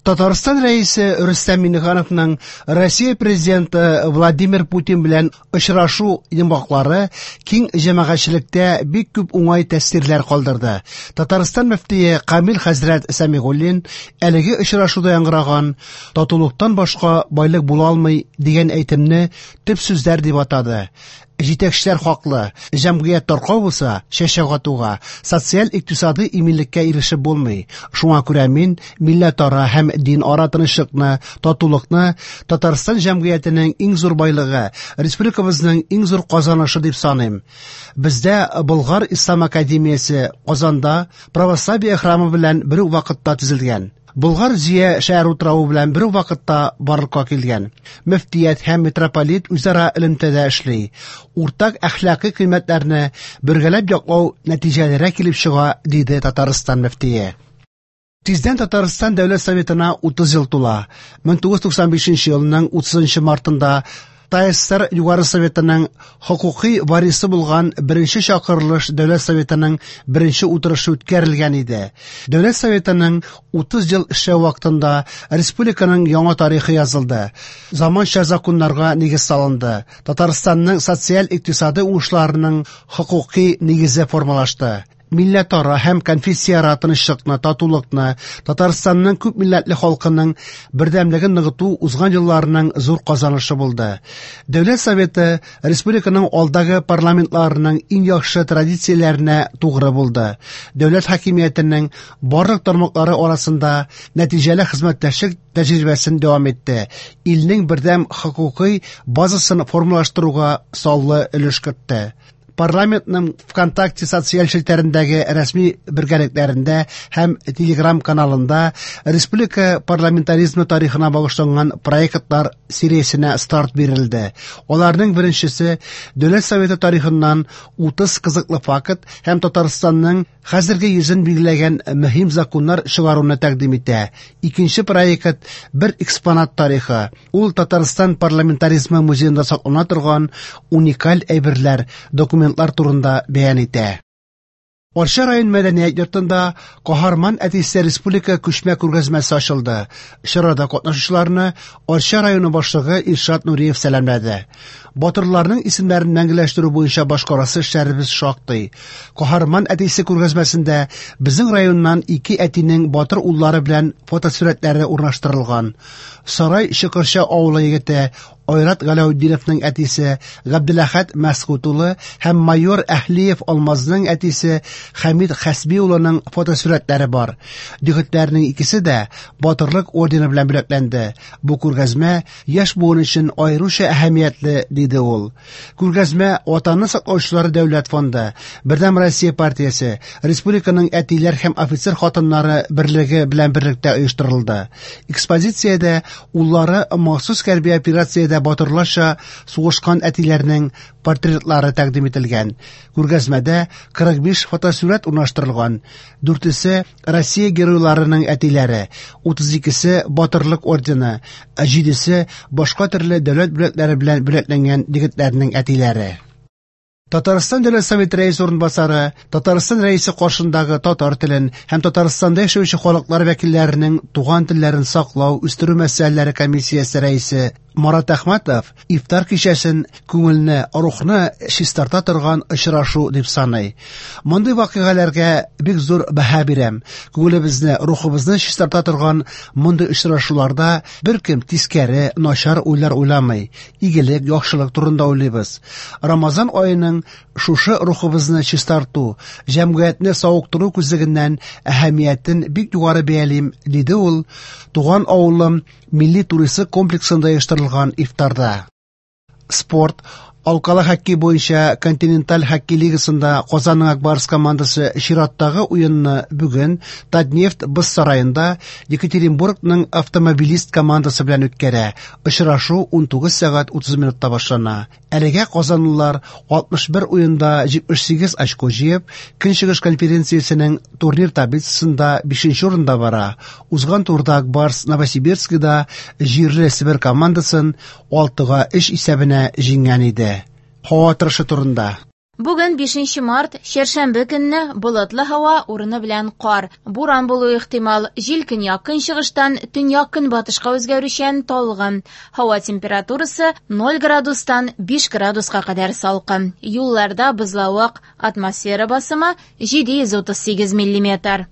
Татарстан Рәисе Рөстәм Миңнехановның Россия Президенты Владимир Путин белән очрашу йомгаклары киң җәмәгатьчелектә бик күп уңай тәэсирләр калдырды. Татарстан мөфтие Камил хәзрәт Сәмигуллин әлеге очрашуда яңгыраган «Татулыктан башка байлык була алмый» дигән әйтемне төп сүзләр дип атады. Җитәкчеләр хаклы, җәмгыять таркау булса, чәчәк атуга, социаль-икътисадый иминлеккә ирешеп булмый. Шуңа күрә мин милләтара һәм динара тынычлыкны, татулыкны Татарстан җәмгыятенең иң зур байлыгы, республикабызның иң зур казанышы дип саныйм. Бездә Болгар ислам академиясе Казанда православие храмы белән бер үк вакытта төзелгән. Болгар Зөя шәһәр утравы белән бер үк вакытта барлыкка килгән. Мөфтият һәм митрополит үзара элемтәдә эшли. Уртак әхлакый кыйммәтләрне бергәләп яклау нәтиҗәлерәк килеп чыга, диде Татарстан мөфтие. Тиздән Татарстан Дәүләт Советына 30 ел тула. 1995 елның 30 мартында ТАССР Югары Советының хокукый варисы булган беренче чакырылыш Дәүләт Советының беренче утырышы үткәрелгән иде. Дәүләт Советының 30 ел эшләү вакытында республиканың яңа тарихы язылды. Заманча законнарга нигез салынды. Татарстанның социаль-икътисадый уңышларының хокукый нигезе формалашты. Милләтара һәм конфессияара тынычлыкны, татулыкны, Татарстанның күп милләтле халкының бердәмлеген ныгыту узган елларның зур казанышы булды. Дәүләт Советы республиканың алдагы парламентларының иң яхшы традицияләренә тугры булды. Дәүләт хакимиятенең барлык тармаклары арасында нәтиҗәле хезмәттәшлек тәҗрибәсен дәвам итте. Илнең бердәм хокукый базасын формалаштыруга саллы өлеш кертте. Парламентның ВКонтакте социаль челтәрендәге рәсми бергәлекләрендә һәм Телеграм каналында республика парламентаризмы тарихына багышланган проектлар сериясенә старт бирелде. Аларның беренчесе Дәүләт Советы тарихыннан 30 кызыклы факт һәм Татарстанның хәзерге йөзен билгеләгән мөһим законнар чыгаруны тәкъдим итә. Икенче проект бер экспонат тарихы. Ул Татарстан парламентаризмы музеенда саклана торган уникаль әйберләр, документлар турында бәян итә. Арча район мәдәният йортында Каһарман әтисе республика күчмә күргәзмәсе ачылды. Чарада катнашучыларны Арча районы башлыгы Илшат Нуриев сәламләде. Батырларның исемнәрен мәңгеләштерү буенча башкарасы эшләребез шактый. Каһарман әтисе күргәзмәсендә безнең районнан ике әтинең батыр уллары белән фотосурәтләре урнаштырылган. Сарай Чокырча авылы егете Айрат Галәүтдиновның әтисе Габделәхәт Мәсгут улы һәм майор Әһлиев Алмазның әтисе Хәмид Хәсби улының фотосурәтләре бар. Егетләрнең икесе дә Батырлык ордены белән бүләкләнде. Бу күргәзмә яшь буын өчен аеруча әһәмиятле, диде ул. Күргәзмә Ватанны саклаучылар дәүләт фонды, Бердәм Россия партиясе, республиканың әтиләр һәм офицер хатыннары берлеге белән берлектә оештырылды. Экспозициядә уллары махсус хәрби операциядә батырларча сугышкан әтиләрнең портретлары тәкъдим ителгән. Күргәзмәдә 45 фотосурәт урнаштырылган. Дүртесе Россия геройларының әтиләре, 32-се Батырлык ордены, ә җидесе башка төрле дәүләт бүләкләре белән бүләкләнгән егетләрнең әтиләре. Татарстан Дәүләт Советы рәисе урынбасары, Татарстан рәисе каршындагы татар телен һәм Татарстанда яшәүче халыклар вәкилләренең туган телләрен саклау, үстерү мәсьәләләре комиссиясе рәисе Марат Әхмәтов ифтар кичәсен күңелне, рухны чистарта торган очрашу дип саный. Мондый вакыйгаларга бик зур бәһа бирәм. Күңелебезне, рухыбызны чистарта торган мондый очрашуларда беркем тискәре, начар уйлар уйламый. Игелек, яхшылык турында уйлыйбыз. Рамазан аеның шушы рухыбызны чистарту, җәмгыятьне савыктыру күзлегеннән әһәмиятен бик югары бәялим, диде ул туган авылым милли туристик комплексында оештырылган ифтарда. Спорт Алкалы хоккей буенча континенталь хоккей лигасында Казанның Ак Барс командасы чираттагы уенны бүген Татнефть боз сараенда Екатеринбургның Автомобилист командасы белән үткәрә. Очрашу 19 сәгать 30 минутта башлана. Әлегә казанлылар 61 уенда 78 очко җыеп, Көнчыгыш конференциясенең турнир таблицасында 5 урында бара. Узган турда Ак Барс Новосибирскида җирле Себер командасын 6-3 исәбенә җиңгән иде. Һава торышы турында. Бүген 5 март, чәршәмбе көнне болытлы һава, урыны белән кар. Буран булуы ихтимал. Җил көньяк-көнчыгыштан төньяк-көнбатышка үзгәрүчән талгын. Һава температурасы 0 градустан 5 градуска кадәр салкын. Юлларда бозлавык, атмосфера басымы 738 миллиметр.